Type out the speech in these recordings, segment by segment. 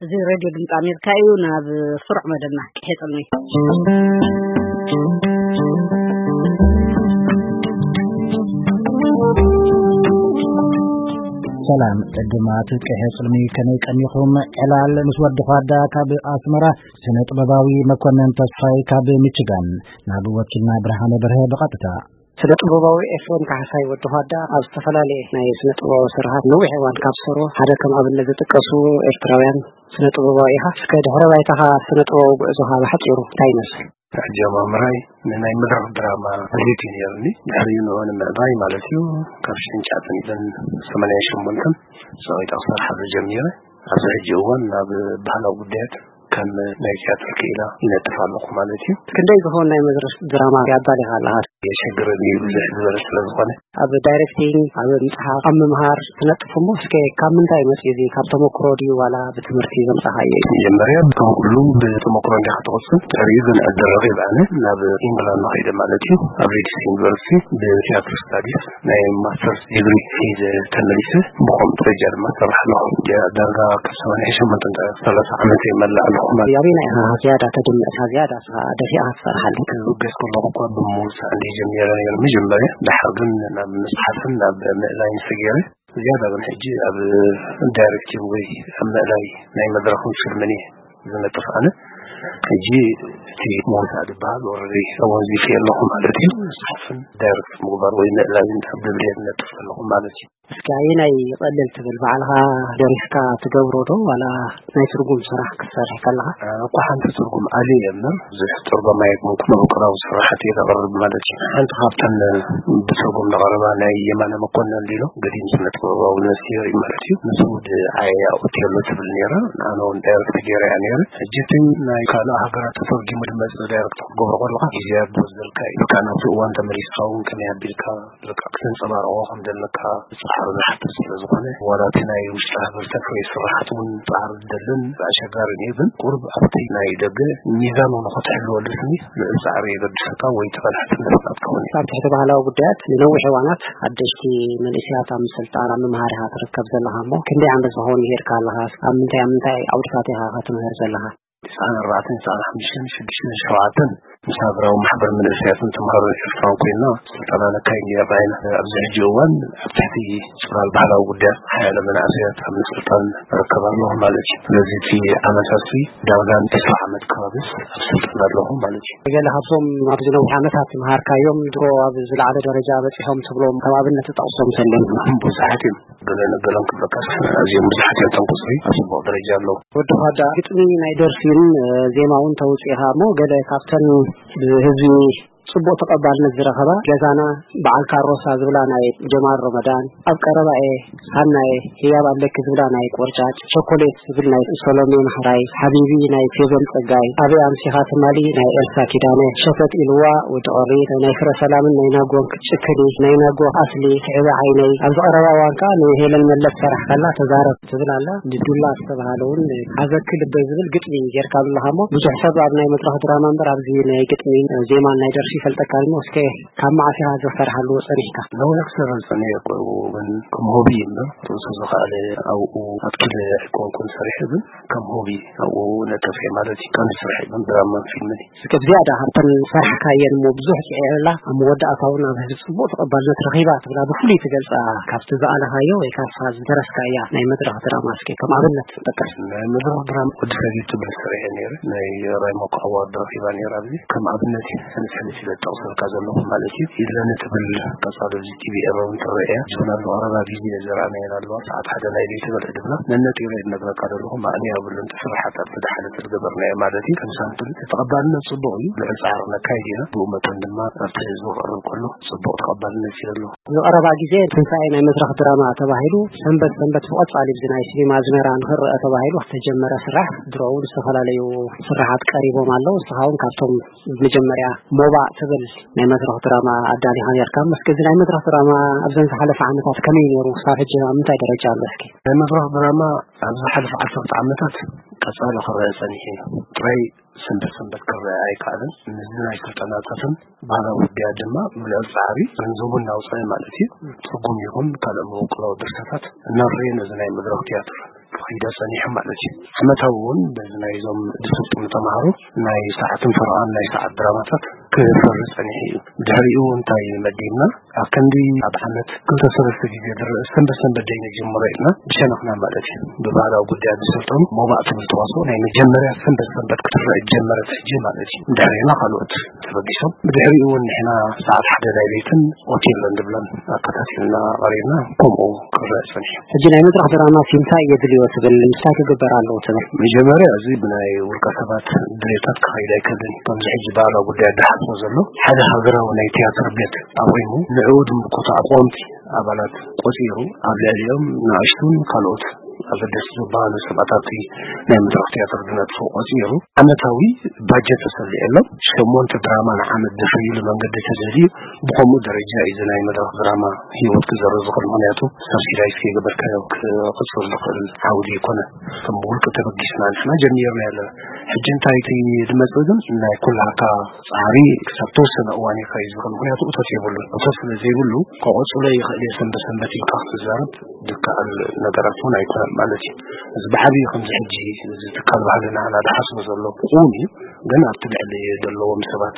እዚ ሬድዮ ድምፂ ኣሜሪካ እዩ። ናብ ስሩዕ መደብና፣ ቅሔ ፅልሚ። ሰላም ዕድማት ቅሔ ፅልሚ፣ ከመይ ቀኒኹም? ዕላል ምስ ወዲ ኳዳ ካብ ኣስመራ፣ ስነ ጥበባዊ መኮነን ተስፋይ ካብ ሚችጋን፣ ናብ ወኪልና ብርሃነ በርሀ ብቐጥታ። ስነ ጥበባዊ ኤፍሬም ካሕሳይ ወዲ ኳዳ ኣብ ዝተፈላለየ ናይ ስነ ጥበባዊ ስርሓት ነዊሕ እዋን ካብ ዝሰርሑ ሓደ ከም ኣብነት ዝጥቀሱ ኤርትራውያን ስነ ጥበባዊ ኢኻ። እስከ ድሕረ ባይታኻ ስነ ጥበባዊ ጉዕዞኻ ብሓጺሩ እንታይ ይመስል? ኣጀማምራይ ንናይ መድረኽ ድራማ ድሌት እዩ ነይሩኒ። ድሕሪኡ ንዑ ንምዕባይ ማለት እዩ። ካብ ሽሕን ትሽዓተን ሚእትን ሰማንያን ሸሞንተን ጸቒጠ ክሰርሓሉ ጀሚረ። ኣብዚ ሕጂ እዋን ናብ ባህላዊ ጉዳያት ከም ናይ ቲያትር ክኢላ ይነጥፍ ኣለኹ ማለት እዩ። ክንደይ ዝኸውን ናይ መድረኽ ድራማ ኣዳሊኻ ኣለኻ? የሸግረኒ እዩ፣ ብዙሕ ዝበለ ስለ ዝኾነ። ኣብ ዳይሬክቲንግ፣ ኣብ ምጽሓፍ፣ ኣብ ምምሃር ትነጥፍ እሞ፣ እስከ ካብ ምንታይ መጽዩ እዚ? ካብ ተመክሮ ድዩ ዋላ ብትምህርቲ ዘምጻኻዮ እዩ? መጀመርያ ከም ኩሉ ብተመክሮ እንዲኻ ትቕጽል። ድሕሪኡ ግን ዕድል ረኺበ ኣነ ናብ ኢንግላንድ ከይደ ማለት እዩ። ኣብ ሊድስ ዩኒቨርሲቲ ብቲያትር ስታዲስ ናይ ማስተርስ ዲግሪ ሒዘ ተመሊሰ። ብኸምኡ ደረጃ ድማ እሰርሕ ኣለኹ። ዳ-፣ ዳርጋ ካብ ሰማንያ ሸሞንተ እንተ ሰላሳ ዓመት ይመልእ ኣለኹ ማለት። ኣበየናይ ኢኻ ዝያዳ ተድምዕ? ዝያዳ ንስኻ ደፊእካ ትሰርሓሉ? ክብገስ ከለኹ እኳ ብምውሳእ እንደ ጀሚረ ነይሩ መጀመርያ። ድሓር ግን ናብ ምጽሓፍን ናብ ምእላይን ሰጊረ። ዝያዳ ግን ሕጂ ኣብ ዳይሬክቲንግ ወይ ኣብ ምእላይ ናይ መድረኽን ፊልምን እየ ዝነጥፍ ኣነ። ሕጂ እቲ ምውሳእ ዝበሃል ኦልሬዲ ኣወንዚፈ ኣለኹ ማለት እዩ። ምጽሓፍን ዳይሬክት ምግባር ወይ ምእላይን ኣብ ድብርየ ዝነጥፍ ኣለኹ ማለት እዩ። እስኪ ኣየናይ ይቐልል ትብል? ባዕልኻ ደሪስካ ትገብሮ ዶ ዋላ ናይ ትርጉም ስራሕ ክትሰርሕ ከለኻ? ኣነ እኮ ሓንቲ ትርጉም ኣልየ እየ እምበር፣ ብዙሕ ትርጉም ኣይኮንኩን፣ ውቅራዊ ስራሓት እየ ዘቕርብ ማለት እዩ። ሓንቲ ካብተን ብትርጉም ዝቐረባ ናይ የማነ መኮነን ሊሎ፣ ገዲም ስነ ጥበባዊ ነፍሲ የርኢ ማለት እዩ። ንሱ ወዲ ዓየያ ኦቴሎ ትብል ነይራ። ኣነ እውን ዳይሬክት ገይረ እያ ነይረ። ሕጂ እቲ ናይ ካልእ ሃገራት ተተርጊሙ ዝመጽእ ዳይሬክት ክትገብሮ ከለኻ፣ ግዜ ዶ ዘልካ ኢልካ ናብቲ እዋን ተመሊስካ እውን ከመይ ኣቢልካ በቃ፣ ክተንጸባርቖ ከም ዘለካ ጻዕሪ ዝሓትት ስለ ዝኾነ፣ ዋላ እቲ ናይ ውሽጢ ሃገር ተፍርዮ ስራሓት እውን ጻዕሪ ዝደልን ኣሸጋርን እዩ። ግን ቁሩብ ኣብቲ ናይ ደገ ሚዛኑ ንኽትሕልወሉ ስኒ ልዑል ጻዕሪ የገድሰካ ወይ ተፈላሕትነት ናትካ እውን እዩ። ኣብ ትሕቲ ባህላዊ ጉዳያት ንነዊሕ እዋናት ሓደሽቲ መንእሰያት ኣብ ምስልጣን፣ ኣብ ምምሃር ኢኻ ትርከብ ዘለኻ እሞ፣ ክንደይ ዓመት ዝኸውን ሄድካ ኣለኻ? ኣብ ምንታይ፣ ኣብ ምንታይ ዓውድታት ኢኻ ትምህር ዘለኻ? ትስዓን ኣርባዕተን፣ ትስዓን ሓሙሽተን፣ ሽዱሽተን፣ ሸውዓተን ምስ ሃገራዊ ማሕበር መንእሰያትን ተምሃሮን ኤርትራን ኮይና ስልጠና ነካይድ ነይርና ኢና። ኣብዚ ሕጂ እዋን ኣብ ትሕቲ ጽላል ባህላዊ ጉዳያት ሓያሎ መናእሰያት ኣብ ምስልጣን እርከብ ኣለኹ ማለት እዩ። ስለዚ እቲ ዓመታት እዚ ዳርጋ ዕስራ ዓመት ከባቢ ኣብ ስልጠና ኣለኹ ማለት እዩ። ገለ ካብዞም ኣብዚ ነዊሕ ዓመታት ዝመሃርካዮም ድሮ ኣብ ዝለዓለ ደረጃ በጺሖም ትብሎም ከም ኣብነት ትጠቕሶም ተለን? ብዙሓት እዮም። ገለ ነገሎም ክብለካስ ኣዝዮም ብዙሓት እዮም፣ እቶም ቁጽሪ ኣብ ጽቡቕ ደረጃ ኣለዉ። ወዲ ኳዳ፣ ግጥሚ ናይ ደርፊን፣ እ፣ ዜማውን ተውጽኢኻ እሞ፣ ገለ ካብተን ብህዝቢ ጽቡቕ ተቐባልነት ዝረኸባ፣ ገዛና፣ በዓል ካሮሳ ዝብላ ናይ ጀማል ረመዳን፣ ኣብ ቀረባ'የ፣ ሃናየ፣ ህያብ ኣለኪ ዝብላ ናይ ቆርጫጭ፣ ቸኮሌት ዝብል ናይ ሰሎሜ ማሕራይ፣ ሓቢቢ ናይ ፌቨን ጸጋይ፣ ኣበይ ኣምሲኻ ትማሊ ናይ ኤልሳ ኪዳነ፣ ሸተት ኢልዋ ወዲ ቐሪ፣ ናይ ፍረ ሰላምን ናይ ናጎን ክትጭክኒ፣ ናይ ናጎ ኣስሊ፣ ስዒበ ዓይነይ፣ ኣብዚ ቀረባ እዋን ከኣ ንሄለን መለስ ሰራሕ ከላ ተዛረብ ትብል ኣላ። ንዱላ ዝተባህለ እውን ሓዘኪ ልበይ ዝብል ግጥሚ ጌርካ ኣለኻ እሞ፣ ብዙሕ ሰብ ኣብ ናይ መድረኽ ድራማ እምበር ኣብዚ ናይ ግጥሚ ዜማን ናይ ደርፊ ይፈልጠካ እሞ፣ እስከ ካብ መዓስ ኢኻ እዚ ክትሰርሓሉ ጸኒሕካ? ነዊሕ ክሰርሕ ጸኒሐ እኮ፣ ግን ከም ሆቢ እምበር ርእሱ ዝኸኣለ ኣብኡ ኣትኪለ ኣይኮንኩን ሰሪሐ፣ ግን ከም ሆቢ ኣብኡ ነጥፍ እየ ማለት እዩ። ቀንዲ ስርሐይ ግን ድራማን ፊልምን እዩ። እስከ ብዝያዳ ካብተን ዝሰርሕካየን እሞ ብዙሕ ጽዒርላ ኣብ መወዳእታ እውን ኣብ ህዝቢ ጽቡቕ ተቐባልነት ረኺባ ትብላ ብፍሉይ ትገልጻ ካብቲ ዝኣለኻዮ ወይ ካብታ ዝደረስካያ ናይ መድረኽ ድራማ እስከ ከም ኣብነት ጥቀስ። ናይ መድረኽ ድራማ ወዲ ሰጊድ ትብል ስርሐ ነይረ። ናይ ራይሞኮ ኣዋርድ ረኺባ ነይራ። ኣብዚ ከም ኣብነት እዩ ሕንስ ሕንስ ኢለ ዝጠቕሰልካ ዘለኹ ማለት እዩ። ኢድለኒ ትብል ቀጻሊ ኣብዚ ቲቪ ኤረውን ትረአ እያ። ጅብና ዝቐረባ ግዜ ዘርኣናየን ኣለዋ። ሰዓት ሓደ ናይ ለይቲ በልዕ ድብላ ነነጢረ እየ ዝነግረካ ዘለኹ። ማእለያ የብሉን። እቲ ስራሓት ኣብቲ ዝሓለፈ ዝገበርናዮ ማለት እዩ። ከም ሳምፕል ተቐባልነት ጽቡቕ እዩ። ልዑል ጻዕሪ ነካይድ ኢና። ብኡ መጠን ድማ ኣብቲ ህዝቢ ክቕርብ ከሎ ጽቡቕ ተቐባልነት እዩ ዘለዎ። ዝቐረባ ግዜ ትንሳኤ ናይ መድረኽ ድራማ ተባሂሉ ሰንበት ሰንበት ብቐጻሊ ብዚ ናይ ሲኒማ ኣዝመራ ንኽረአ ተባሂሉ ዝተጀመረ ስራሕ ድሮ እውን ዝተፈላለዩ ስራሓት ቀሪቦም ኣለዉ። ንስኻ እውን ካብቶም መጀመርያ ሞባእ ትብል ናይ መድረኽ ድራማ ኣዳሊኻ ነርካ። እስከ እዚ ናይ መድረኽ ድራማ ኣብዘን ዝሓለፈ ዓመታት ከመይ ነይሩ? ክሳብ ሕጂ ኣብ ምንታይ ደረጃ ኣሎ? እስኪ ናይ መድረኽ ድራማ ኣብ ዝሓለፈ ዓሰርተ ዓመታት ቀጻሊ ክረአ ጸኒሑ እዩ። ጥራይ ሰንበት ሰንበት ክረአ ኣይከኣለን። ነዚ ናይ ስልጠናታትን ባህላዊ ውድያ ድማ ብልዑል ጻዕሪ ገንዘቡ እናውጸአ ማለት እዩ። ትርጉም ይኹን ካልእ መበቆላዊ ድርሰታት እናረየ ነዚ ናይ መድረኽ ትያትር ክኸይዳ ጸኒሑ ማለት እዩ። ዓመታዊ እውን በዚ ናይዞም ዝስልጥኑ ተምሃሮ ናይ ሰዓትን ፈረቓን ናይ ሰዓት ድራማታት ክፈሪ ጸኒሑ እዩ። ድሕሪኡ እንታይ መዲብና፣ ኣብ ክንዲ ኣብ ዓመት ክልተ ሰለስተ ግዜ ዝረአ ሰንበት ሰንበት ደይ ንጀምሮ ኢልና ብሸነኽና ማለት እዩ። ብባህላዊ ጉዳያት ዝሰልጠኑ ሞባእ ትብል ተዋስኦ ናይ መጀመርያ ሰንበት ሰንበት ክትረአ ጀመረት ሕጂ ማለት እዩ። ድሕሪና ካልኦት ተበጊሶም፣ ብድሕሪኡ እውን ንሕና ሰዓት ሓደ ናይ ለይትን ኦቴሎን ዝብለን ኣከታቲልና ቀሪብና፣ ከምኡ ክረአ ጸኒሑ። ሕጂ ናይ መድረኽ ድራማ እንታይ የድልዮ ትብል? እንታይ ክግበር ኣለዎ ትብል? መጀመርያ እዚ ብናይ ውልቀ ሰባት ድሌታት ክኸይድ ኣይክእልን። ከምዚ ሕጂ ባህላዊ ጉዳይ ዝሓስቦ ዘሎ ሓደ ሃገራዊ ናይ ቲያትር ቤት ኣቑሙ ንዕኡ ዝምልከቱ ኣቋምቲ ኣባላት ቆጺሩ ኣብ ልዕሊኦም ንኣሽቱን ካልኦት ኣገደስቲ ዝበሃሉ ሰባት ኣብቲ ናይ መድረኽ ቲያትር ዝነጥፉ ቆጺሩ ዓመታዊ ባጀት ተሰሊዕሎም ሸሞንተ ድራማ ንዓመት ዘፍርይሉ መንገዲ ተዘልዩ ብኸምኡ ደረጃ እዩ እዚ ናይ መድረኽ ድራማ ህይወት ክዘርእ ዝኽእል። ምኽንያቱ ሳብሲዳይዝ ከይገበርካዮ ክቕጽል ዝኽእል ዓውዲ ኣይኮነ። ከም ውልቂ ተበጊስና ንሕና ጀሚርና ያለ ሕጂ እንታይ እቲ ዝመጽእ ግን ናይ ኩላካ ጻዕሪ ክሳብ ተወሰነ እዋን እዩ ክኸይድ ዝኽእል። ምኽንያቱ እቶት የብሉን። እቶት ስለ ዘይብሉ ክቕጽሎ ይኽእል እየ ሰንበት ሰንበት ኢልካ ክትዛረብ ዝከኣል ነገራት እውን ኣይኮነን ማለት እዩ። እዚ ብዓብዩ ከምዚ ሕጂ እዚ ትካል ባህልና ናዳ ሓስቡ ዘሎ እውን እዩ። ግን ኣብቲ ልዕሊ ዘለዎም ሰባት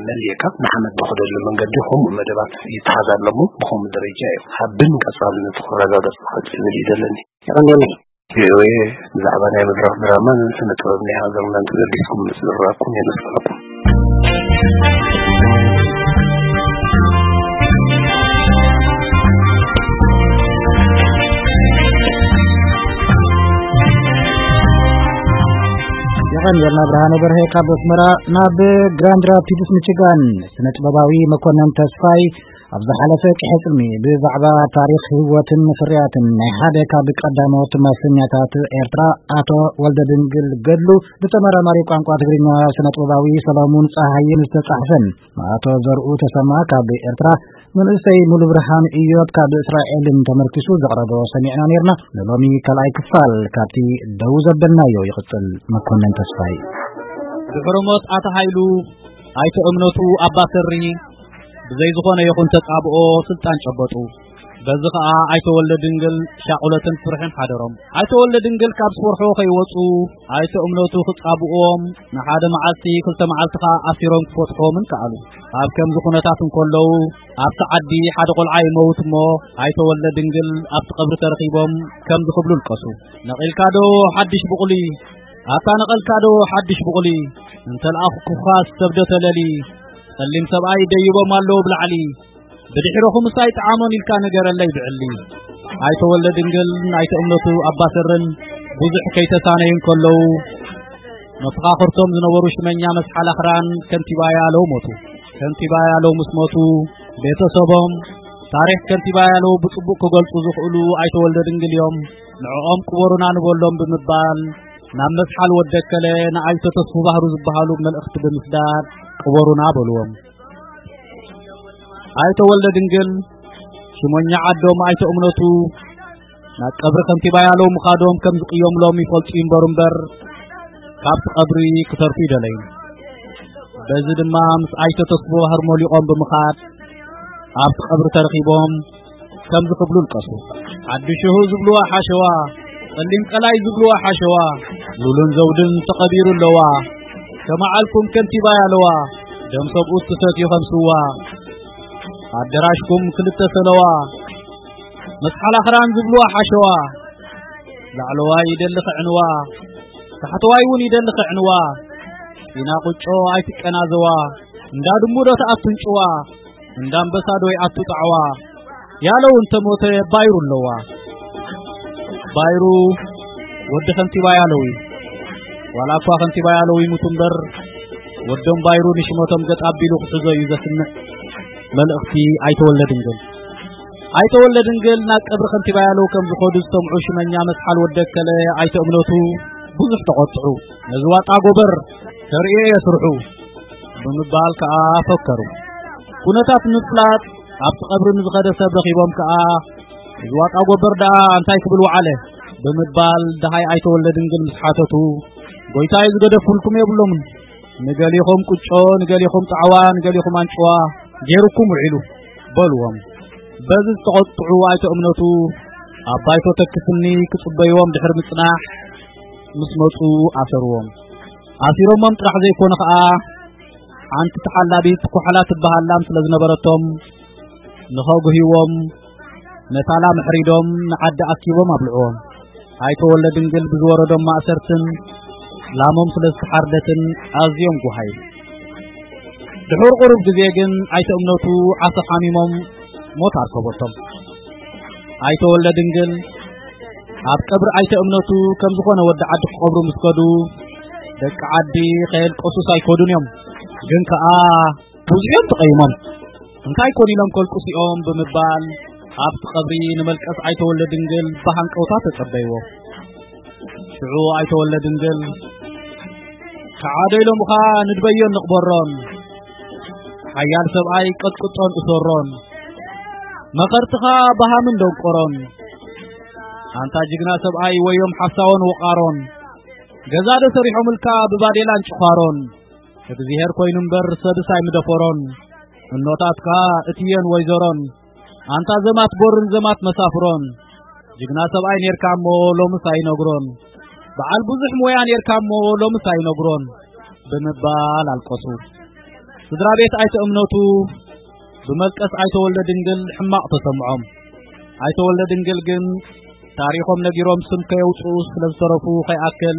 መሊእካ ንዓመት ዝኸደሉ መንገዲ ከምኡ መደባት ይተሓዝ ኣለሞ። ብኸምኡ ደረጃ እዩ ሓብን ቀጻልነቱ ክረጋገጽ ዝኽእል ዝብል እዩ ዘለኒ። የቐንየለይ። ቪኦኤ ብዛዕባ ናይ መድረኽ ድራማን ስነ ጥበብ ናይ ሃገርናን ተገዲስኩም ምስ ዝረኣኩም የመስግነኩም። የቐንየልና ብርሃነ በርሀ ካብ ኣስመራ። ናብ ግራንድ ራፒድስ ሚችጋን፣ ስነ ጥበባዊ መኮነን ተስፋይ ኣብ ዝሓለፈ ቅሐ ጽልሚ ብዛዕባ ታሪኽ ህይወትን ፍርያትን ናይ ሓደ ካብ ቀዳሞት ማሰኛታት ኤርትራ ኣቶ ወልደ ድንግል ገድሉ ብተመራማሪ ቋንቋ ትግርኛ ስነ ጥበባዊ ሰሎሙን ጸሃይን ዝተጻሕፈን ኣቶ ዘርኡ ተሰማ ካብ ኤርትራ መንእሰይ ሙሉ ብርሃን እዮብ ካብ እስራኤልን ተመርኪሱ ዘቕረቦ ሰሚዕና ነርና። ንሎሚ ካልኣይ ክፋል ካብቲ ደው ዘበልናዮ ይቕጽል። መኮነን ተስፋይ። ድሕሪ ሞት ኣታ ሃይሉ ኣይተ እምነቱ ኣባሰሪ ብዘይ ዝኾነ ይኹን ተጻብኦ ስልጣን ጨበጡ። በዚ ኸኣ ኣይተ ወልደ ድንግል ሻቑለትን ፍርሕን ሓደሮም። ኣይተ ወልደ ድንግል ካብ ስወርሖ ከይወጹ ኣይተ እምነቱ ክጻብእዎም ንሓደ መዓልቲ ክልተ መዓልቲ ኸኣ ኣሲሮም ክፈትሖምን ከኣሉ። ኣብ ከምዚ ኩነታት እንከለዉ ኣብቲ ዓዲ ሓደ ቆልዓ ይመውት እሞ ኣይተ ወልደ ድንግል ኣብቲ ቀብሪ ተረኺቦም ከምዚ ክብሉ ልቀሱ። ነቒልካ ዶ ሓድሽ ብቑሊ? ኣታ ነቐልካ ዶ ሓድሽ ብቑሊ? እንተለኣኹኩኻስ ሰብ ዶ ተለሊ? ጸሊም ሰብኣይ ደይቦም ኣለዉ ብላዕሊ። ብድሕረኹምስ ኣይጠዓሞን ኢልካ ንገረለይ ብዕሊ። ኣይተ ወልደ ድንግል፣ ኣይተ እምነቱ ኣባሰርን ብዙሕ ከይተሳነዩ እንከለዉ፣ መፈኻኽርቶም ዝነበሩ ሽመኛ መስሓል ኣኽራን ከንቲባ ያለው ሞቱ። ከንቲባ ያለው ምስ ሞቱ፣ ቤተሰቦም ታሪኽ ከንቲባ ያለው ብጽቡቕ ክገልጹ ዝኽእሉ ኣይተ ወልደ ድንግል እዮም። ንዕኦም ቅበሩና ንበሎም ብምባል ናብ መስሓል ወደከለ ንኣይተ ተስፉ ባህሩ ዝበሃሉ መልእኽቲ ብምስዳድ ቅበሩና በልዎም። ኣይተ ወልደ ድንግል ሽሞኛ ዓዶም ኣይተ እምነቱ ናብ ቀብሪ ከንቲባ ያለው ምኻዶም ከም ዝቅየምሎም ይፈልጡ ይንበሩ እምበር ካብቲ ቀብሪ ክተርፉ ይደለዩ። በዚ ድማ ምስ ኣይተ ተስፉ ባህር ሞሊቆም ብምኻድ ኣብቲ ቀብሪ ተረኺቦም ከምዚ ክብሉ ልቀሱ። ሓድሽሁ ዝብልዋ ሓሸዋ፣ ጸሊም ቀላይ ዝብልዋ ሓሸዋ፣ ሉልን ዘውድን ተቐቢሩ ኣለዋ። ከመዓልኩም ከንቲባ ያለዋ፣ ደም ሰብኡት ትሰትዩ ከም ስዋ። ኣደራሽኩም ክልተ ሰለዋ፣ መስሓል ኣኽራን ዝብልዋ ሓሸዋ፣ ላዕለዋይ ይደሊ ክዕንዋ፣ ታሕተዋይ እውን ይደሊ ክዕንዋ። ኢና ቁጮ ኣይትቀናዘዋ፣ እንዳ ድሙ ዶ ትኣቱ እንጭዋ፣ እንዳ ኣንበሳ ዶ ይኣቱ ጣዕዋ። ያለው እንተ ሞተ ባይሩ ኣለዋ። ባይሩ ወዲ ከንቲባ ያለው እዩ። ዋላ እኳ ከንቲባ ያለው ይሙት እምበር፣ ወዶም ባይሩ ንሽመቶም ገጥ ኣቢሉ ክሕዞ እዩ ዘስምዕ መልእኽቲ ኣይተ ወልደ ድንግል። ኣይተ ወልደ ድንግል ናብ ቀብሪ ከንቲባ ያለው ከም ዝኸዱ ዝሰምዑ ሽመኛ መስሓል ወደከለ ኣይተ እምነቱ ብዙሕ ተቖጥዑ። ነዚ ዋጣ ጎበር ተርእዮ እየ ስርሑ ብምባል ከኣ ፈከሩ። ኩነታት ንምፍላጥ ኣብቲ ቀብሪ ንዝኸደ ሰብ ረኺቦም ከኣ፣ "እዚ ዋጣ ጎበር ደኣ እንታይ ክብል ወዓለ?" ብምባል ደሃይ ኣይተ ወልደ ድንግል ምስ ሓተቱ፣ "ጎይታይ ዝገደፉልኩም የብሎምን። ንገሊኹም ቁጮ፣ ንገሊኹም ጣዕዋ፣ ንገሊኹም ኣንጭዋ ገይሩኩም ውዒሉ" በልዎም። በዚ ዝተቖጥዑ ኣይተ እምነቱ፣ ኣብ ባይቶ ተክፍኒ ክጽበይዎም ድሕሪ ምጽናሕ፣ ምስ መጹ ኣሰርዎም። ኣሲሮሞም ጥራሕ ዘይኮነ ኸኣ፣ ሓንቲ ተሓላቢት ኩሓላ ትበሃል ላም ስለ ዝነበረቶም፣ ንኸጉህይዎም ነታ ላም ኣሕሪዶም ንዓዲ ኣኪቦም ኣብልዕዎም። ኣይተ ወልደ ድንግል ብዝወረዶም ማእሰርትን ላሞም ስለ ዝተሓርደትን ኣዝዮም ጉሃዩ። ድሑር ቁሩብ ግዜ ግን ኣይተ እምነቱ ዓሶ ሓሚሞም ሞት ኣርከቦቶም። ኣይተ ወልደ ድንግል ኣብ ቀብሪ ኣይተ እምነቱ ከም ዝኾነ ወዲ ዓዲ ክቐብሩ ምስ ከዱ፣ ደቂ ዓዲ ከየልቀሱስ ኣይከዱን እዮም። ግን ከኣ ብዙሕ እዮም ተቐይሞም። እንታይ ኮን ኢሎም ከልቅሱ እዮም ብምባል ኣብቲ ቀብሪ ንመልቀስ ኣይተ ወልደ ድንግል ብሃንቀውታ ተጸበይዎ። ሽዑ ኣይተ ወልደ ድንግል፣ "ከዓዶ ኢሎምኻ ንድበዮን ንቕበሮን፣ ሓያል ሰብኣይ ቀጥቅጦን እሰሮን፣ መኸርትኻ በሃምን ደንቆሮን፣ ኣንታ ጅግና ሰብኣይ ወዮም ሓሳዎን ወቓሮን፣ ገዛ ዶ ሰሪሖምልካ ብባዴላን ጭዃሮን፣ እግዚኣብሄር ኮይኑ እምበር ሰብስ ኣይምደፈሮን፣ እኖታትካ እትየን ወይዘሮን፣ ኣንታ ዘማት ቦርን ዘማት መሳፍሮን፣ ጅግና ሰብኣይ ኔርካ እሞ ሎምስ ኣይነግሮን፣ በዓል ብዙሕ ሞያ ኔርካ እሞ ሎምስ ኣይነግሮን" ብምባል ኣልቀሱ። ስድራ ቤት ኣይተ እምነቱ ብመልቀስ ኣይተ ወልደ ድንግል ሕማቕ ተሰምዖም። ኣይተ ወልደ ድንግል ግን ታሪኾም ነጊሮም ስም ከየውጽኡ ስለ ዝተረፉ ከይኣክል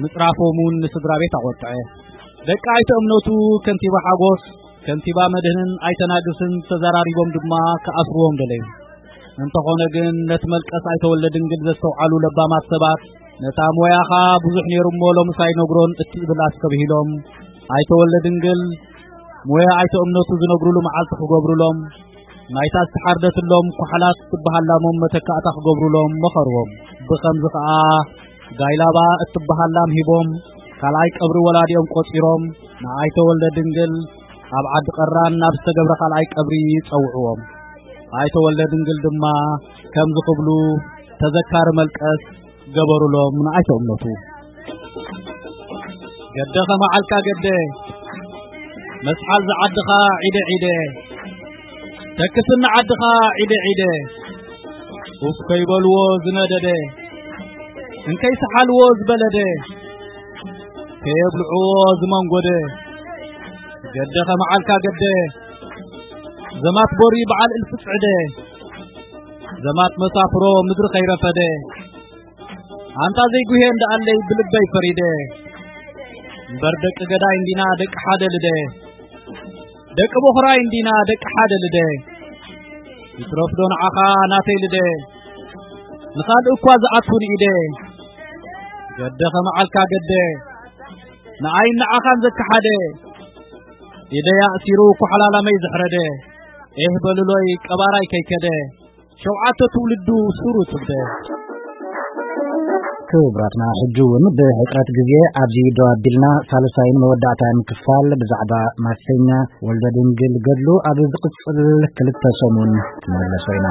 ምጽራፎም እውን ንስድራ ቤት ኣቖጥዐ። ደቂ ኣይተ እምነቱ ከንቲባ ሓጎስ፣ ከንቲባ መድህንን ኣይተ ናግስን ተዘራሪቦም ድማ ክኣስርዎም ደለዩ። እንተኾነ ግን ነቲ መልቀስ ኣይተ ወልደ ድንግል ዘስተውዓሉ ለባማት ሰባት፣ "ነታ ሞያኻ ብዙሕ ነይሩ እሞ ሎምስ ኣይነግሮን" እትብል ኣስተብሂሎም፣ ኣይተ ወልደ ድንግል ሞያ ኣይተ እምነቱ ዝነግሩሉ መዓልቲ ክገብሩሎም፣ ናይታ ዝተሓርደትሎም ኩሓላት ትበሃል ላሞም መተካእታ ክገብሩሎም መኸርዎም። ብኸምዚ ኸኣ ጋይላባ እትበሃል ላም ሂቦም፣ ካልኣይ ቀብሪ ወላዲኦም ቆጺሮም፣ ንኣይተ ወልደ ድንግል ኣብ ዓዲ ቀራን ናብ ዝተገብረ ካልኣይ ቀብሪ ጸውዕዎም። ኣይተ ወልደ ድንግል ድማ ከምዚ ክብሉ ተዘካሪ መልቀስ ገበሩሎም ንኣይተ እምነቱ። "ገደ ከመዓልካ ገደ፣ መስሓል ዝዓድኻ ዒደ ዒደ፣ ተክስኒ ዓድኻ ዒደ ዒደ፣ ኡፍ ከይበልዎ ዝነደደ፣ እንከይሰሓልዎ ዝበለደ፣ ከየብልዕዎ ዝመንጎደ፣ ገደ ከመዓልካ ገደ፣ ዘማት ቦሪ በዓል እልፊ ጽዕደ፣ ዘማት መሳፍሮ ምድሪ ከይረፈደ፣ ኣንታ ዘይጉሄ እንዳ ኣለይ ብልበይ ፈሪደ፣ እምበር ደቂ ገዳይ እንዲና ደቂ ሓደ ልደ፣ ደቂ ቦኽራይ እንዲና ደቂ ሓደ ልደ፣ ይትረፍዶ ንዓኻ ናተይ ልደ፣ ንኻልእ እኳ ዝኣቱ ንኢደ፣ ገደ ከመዓልካ ገደ፣ ንኣይን ንዓኻን ዘከሓደ፣ ኢደይ ኣእሲሩ ኩሓላላመይ ዘሕረደ፣ ኤህ በልሎይ ቀባራይ ከይከደ፣ ሸውዓተ ትውልዱ ሱሩ ትብደ። ክቡራትና፣ ሕጂ እውን ብሕጽረት ግዜ ኣብዚ ደው ኣቢልና፣ ሳልሳይን መወዳእታን ክፋል ብዛዕባ ማሰኛ ወልደ ድንግል ገድሉ ኣብ ዝቕጽል ክልተ ሰሙን ክንምለሶ ኢና።